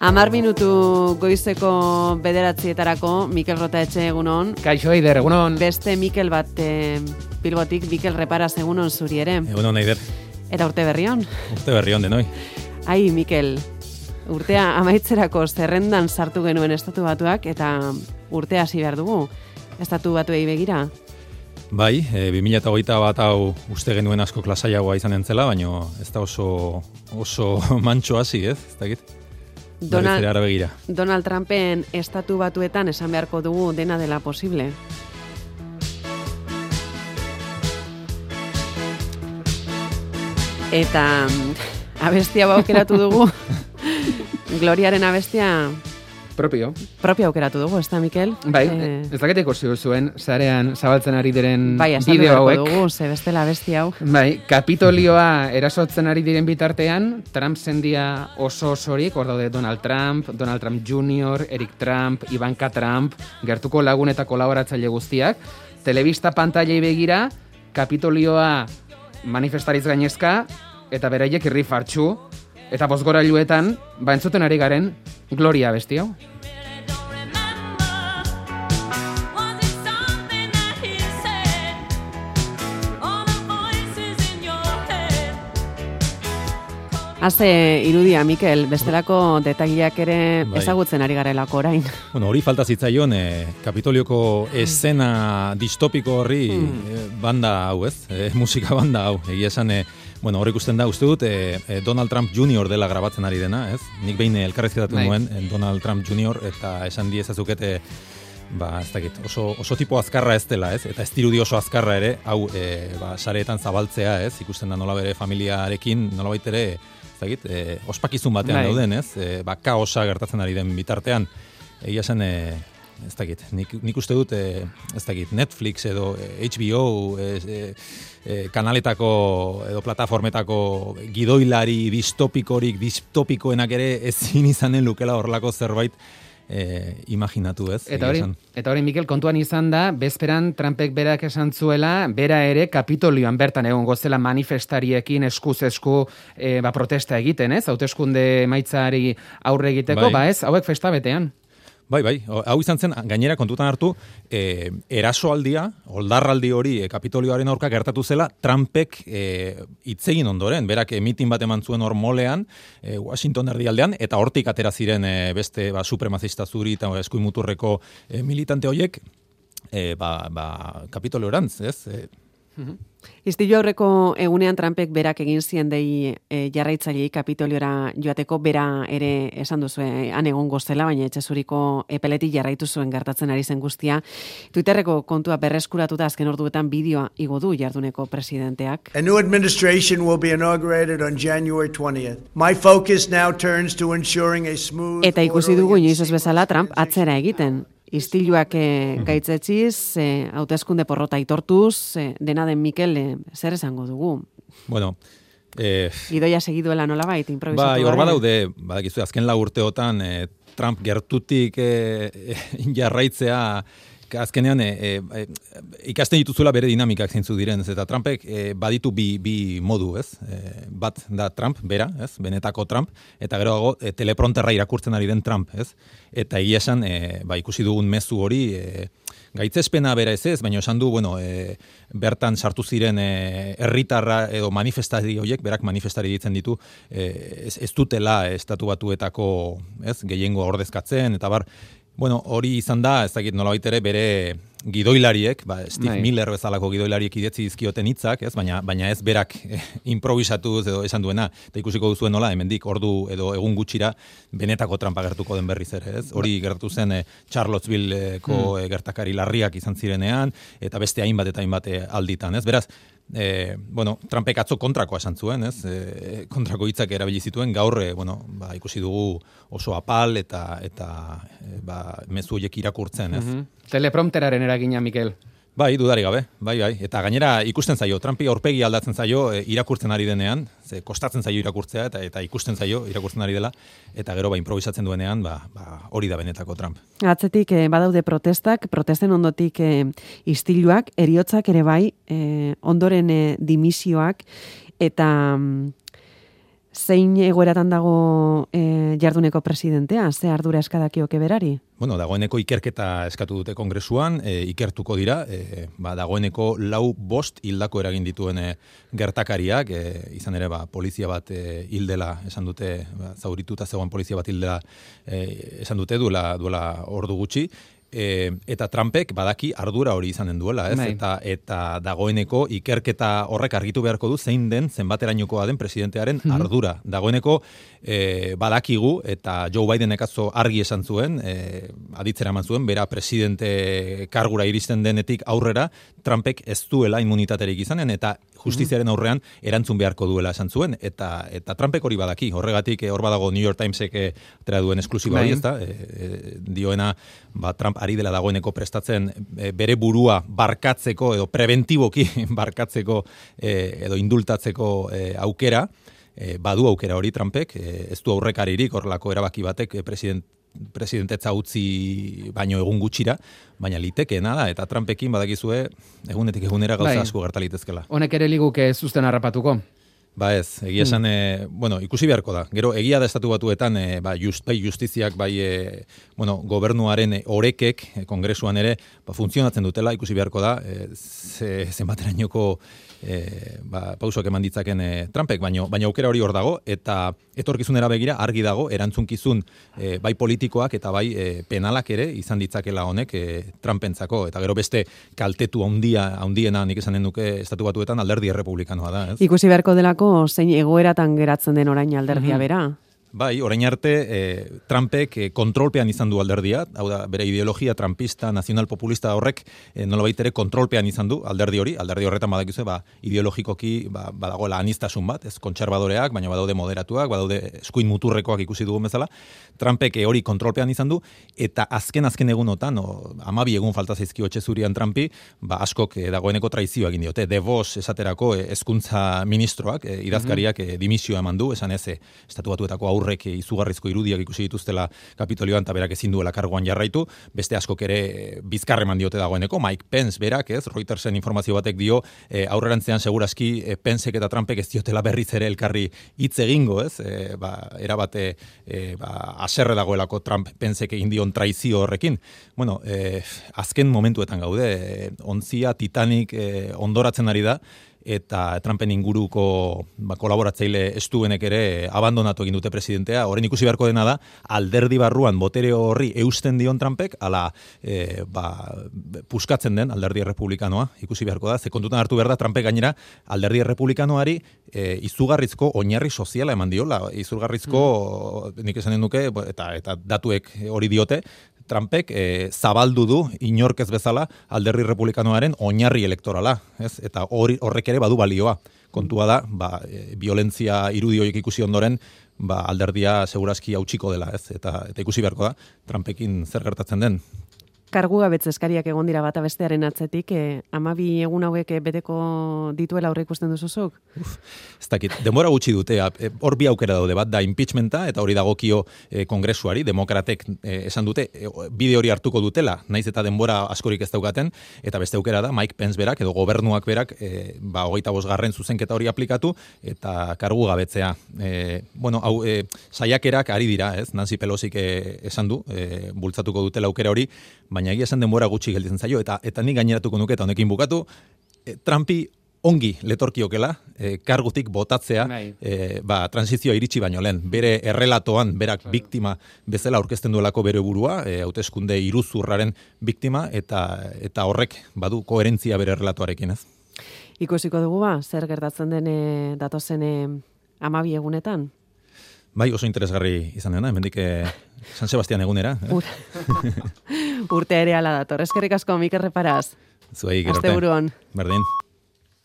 10 minutu goizeko 9:00 Mikel Rotaetxe egunon. Kaixo Eider, egunon. Beste Mikel bat Bilbotik, Mikel Reparaz egunon zuri ere. Egunon Eider. Eta urte berrion. Urte berrion denoi. Ai, Mikel, urtea amaitzerako zerrendan sartu genuen Estatu Batuak eta urtea hasi behar dugu. Estatu Batuei begira. Bai, 2021 hau uste genuen asko lasaiagoa izan entzela, baina ez da oso mantxo hasi, ez? Ez dakit. Donald Trumpen Estatu Batuetan esan beharko dugu dena dela posible. Eta abestia aukeratu dugu. Gloriaren abestia Propio aukeratu dugu, ez da, Mikel? Bai, ez dakit ikusi zuen, sarean zabaltzen ari diren bai, bideo hauek. Bai, dugu, ze bestela abestia hau. Bai, Kapitolioa erasotzen ari diren bitartean, Trump zendia osorik, hor daude Donald Trump Jr., Eric Trump, Ivanka Trump, gertuko lagun eta kolaboratzaile guztiak, telebista pantailei begira, Kapitolioa manifestariz gainezka, eta beraiek irri fartxu, eta bozgorailuetan, entzuten ari garen, Gloria abesti hau. Haze irudia, Mikel, bestelako detagiak ere ezagutzen ari garelako orain. Bueno, hori falta zitzaion, Kapitolioko escena distopiko horri banda hau, ez? Musika banda hau, egia esan, bueno, hor ikusten da, uste dut, Donald Trump Jr. dela grabatzen ari dena, ez? Nik behin elkarrezketatu nuen Donald Trump Jr. eta esan diezazukete, ez dakit, oso tipo azkarra ez dela, ez? Eta ez dirudi oso azkarra ere, hau, sareetan zabaltzea, ez? Ikusten da nola bere familiarekin, nola baitere, ez dakit, ospakizun batean dauden, ez? Kaosa gertatzen ari den bitartean, egia zen, ez dakit, nik uste dut, ez dakit, Netflix edo HBO kanaletako edo plataformetako gidoilari distopikoenak ere ezin izanen lukela horrelako zerbait imaginatu, ez? Eta hori, Mikel, kontuan izan da, bezperan Trumpek berak esan zuela, bera ere Kapitolioan bertan egon gozela manifestariekin eskuz esku protesta egiten, ez? Hauteskunde emaitzari aurre egiteko, ez? Hauek festa betean. Bai, hau izan zen, gainera kontutan hartu, erasoaldia, oldarraldi hori Kapitolioaren aurka gertatu zela, Trumpek hitzegin ondoren, berak mitin bat eman zuen hor molean, Washington erdialdean, eta hortik atera ziren beste supremazista zuri eta eskuimuturreko militante horiek, Kapitoliorantz, ez? Istilu aurreko egunean Trumpek berak egin zien dei jarraitzailei Kapitoliora joateko, bera ere esan duzu han egongo zela, baina etxezuriko epeletik jarraitu zuen gertatzen ari zen guztia. Twitterreko kontua berreskuratuta azken orduetan bideoa igo du jarduneko presidenteak. A new administration will be inaugurated on January 20th. My focus now turns to ensuring a smooth. Eta ikusi dugu inoiz ez bezala Trump atzera egiten. Istiluak gaitzetziz, hauteskunde porrota aitortuz, dena den Mikel, zer esango dugu? Bueno, gidoia segiduela nolabait, improvisatu. Bai, hor badaude, badakizu, azken 4 urteotan Trump gertutik jarraitzea, azkenean ikasten dituzuela bere dinamikak zeintzu diren, eta Trumpek baditu bi modu, ez? Bat da Trump, bera, ez? Benetako Trump, eta gero dago teleprompterra irakurtzen ari den Trump, ez? Eta egia esan, ikusi dugun mezu hori, gaitzespena bera ez, baina esan du, bertan sartu ziren herritarra edo manifestari horiek, berak manifestari ditzen ditu, ez dutela Estatu Batuetako, ez? Gehiengo ordezkatzen, eta bar, hori izan da, ez dakit nolabait ere bere gidoilariek, Steve Miller bezalako gidoilariek idetzi dizkioten hitzak, ez? Baina ez berak improvisatu edo esan duena, eta ikusiko duzuen nola, hemendik ordu edo egun gutxira benetako Trumpa gertuko den berriz ere, ez? Hori gertatu zen Charlottesvilleko gertakari larriak izan zirenean, eta beste hainbat alditan, ez? Beraz, Trumpek atzo kontrakoa esan zuen, ez? Kontrako hitzak erabili zituen, gaur, ikusi dugu oso apal eta mezu horiek irakurtzen, ez? Teleprompteraren eragina, Mikel. Bai, dudari gabe, bai. Eta gainera ikusten zaio, Trumpi aurpegi aldatzen zaio irakurtzen ari denean, ze kostatzen zaio irakurtzea eta ikusten zaio irakurtzen ari dela, eta gero improvisatzen duenean, hori da benetako Trump. Atzetik badaude protesten ondotik istiluak, heriotzak ere bai, ondoren dimisioak, eta Zein egoeratan dago jarduneko presidentea? Ze ardura eskadakioke berari? Bueno, dagoeneko ikerketa eskatu dute kongresuan, ikertuko dira, dagoeneko 4-5 hildako eragin dituen gertakariak, izan ere polizia bat hildela esan dute, zaurituta zegoen polizia bat hildela esan dute duela ordu gutxi, eta Trumpek badaki ardura hori izanen duela, ez? Eta dagoeneko ikerketa horrek argitu beharko du zein den zenbaterainokoa den presidentearen ardura. Dagoeneko badakigu eta Joe Bidenek atzo argi esan zuen, aditzera eman zuen, bera presidente kargura iristen denetik aurrera, Trumpek ez duela immunitaterik izanen eta justiziaren aurrean erantzun beharko duela esan zuen, eta Trumpek hori badaki, horregatik hor badago New York Timesek atera duen esklusiba hori, ezta? Dioena, Trump ari dela dagoeneko prestatzen bere burua barkatzeko edo preventiboki barkatzeko edo indultatzeko aukera, badu aukera hori Trumpek, ez du aurrekaririk horrelako erabaki batek presidentetza utzi baino egun gutxira, baina litekeena da, eta Trumpekin badakizue egunetik egunera gauza asko gerta litezkela. Honek ere liguke zuzten harrapatuko? Ba ez, egia esan, ikusi beharko da. Gero, egia da estatu batuetan, bai justiziak, gobernuaren orekek, kongresuan ere, funtzionatzen dutela, ikusi beharko da, zenbaterainoko pausoak eman ditzaken Trumpek, baina aukera hori hor dago, eta etorkizunera begira argi dago, erantzunkizun bai politikoak eta bai penalak ere izan ditzakela honek Trumpentzako, eta gero beste kaltetu handiena nik esanen duke estatu batuetan alderdi errepublikanoa da, ez? Ikusi beharko delako zein egoeratan geratzen den orain alderdia bera. Bai, orain arte Trumpek kontrolpean izan du alderdia, hau da, bere ideologia trumpista, nazional-populista horrek nolabait ere kontrolpean izan du alderdi horretan badakizu, ideologikoki badagoela anistasun bat, ez kontserbadoreak, baina badaude moderatuak, badaude eskuin muturrekoak ikusi dugun bezala, Trumpek hori kontrolpean izan du, eta azken egunotan, 12 egun falta zaizkio etxe zurian Trumpi, askok dagoeneko traizioa egin diote, DeVos esaterako hezkuntza ministroak, idazkariak dimisioa eman du, esan ez, estatu batuetako aurrek izugarrizko irudiak ikusi dituztela Kapitolioan eta berak ezin duela karguan jarraitu, beste askok ere bizkarre eman diote dagoeneko, Mike Pence berak, Reutersen informazio batek dio, aurrerantzean segurazki Pencek eta Trumpek ez diotela berriz ere elkarri hitz egingo, ez? Erabate haserre dagoelako Trump Pencek egin dion traizio horrekin. Bueno, azken momentuetan gaude, ontzia Titanic ondoratzen ari da, eta Trumpen inguruko kolaboratzaile estuenek ere abandonatu egin dute presidentea. Orain ikusi beharko dena da, alderdi barruan botere horri eusten dion Trumpek, ala puskatzen den alderdi errepublikanoa, ikusi beharko da. Ze kontutan hartu behar da, Trumpek gainera alderdi errepublikanoari izugarrizko oinarri soziala eman diola, izugarrizko, nik esanen duke, eta datuek hori diote, Trumpek zabaldu du inork ez bezala alderdi republikanoaren oinarri elektorala, ez? Eta horrek ere badu balioa. Kontua da, violentzia irudi horiek ikusi ondoren, alderdia segurazki hautsiko dela, ez? Eta ikusi beharko da, Trumpekin zer gertatzen den. Kargu gabetze eskariak egon dira bata bestearen atzetik, 12 egun hauek beteko dituela aurre ikusten duzuzuk? Ez dakit, denbora gutxi dute, hor bi aukera daude, bat da impeachmenta, eta hori dagokio kongresuari, demokratek esan dute, bide hori hartuko dutela, naiz eta denbora askorik ez daukaten, eta beste aukera da, Mike Pence berak, edo gobernuak berak, 25. zuzenketa hori aplikatu, eta kargu gabetzea. Saiakerak ari dira, ez? Nancy Pelosik esan du, bultzatuko dutela aukera hori, baina egia esan denbora gutxi gelditzen zaio, eta nik gaineratuko nuke eta honekin bukatu, Trumpi ongi letorkiokela, kargutik botatzea, transizioa iritsi baino lehen. Bere errelatoan, berak biktima bezala aurkezten duelako bere burua, hauteskunde iruzurraren biktima, eta horrek badu koherentzia bere errelatoarekin, ez? Ikusiko dugu zer gertatzen den datozen 12 egunetan? Bai, oso interesgarri izan dena, hemendik San Sebastian egunera. Urte ere ala dator. Eskerrik asko, Mikel Reparaz. Zuei, gerarte. Asteburuan. Berdin.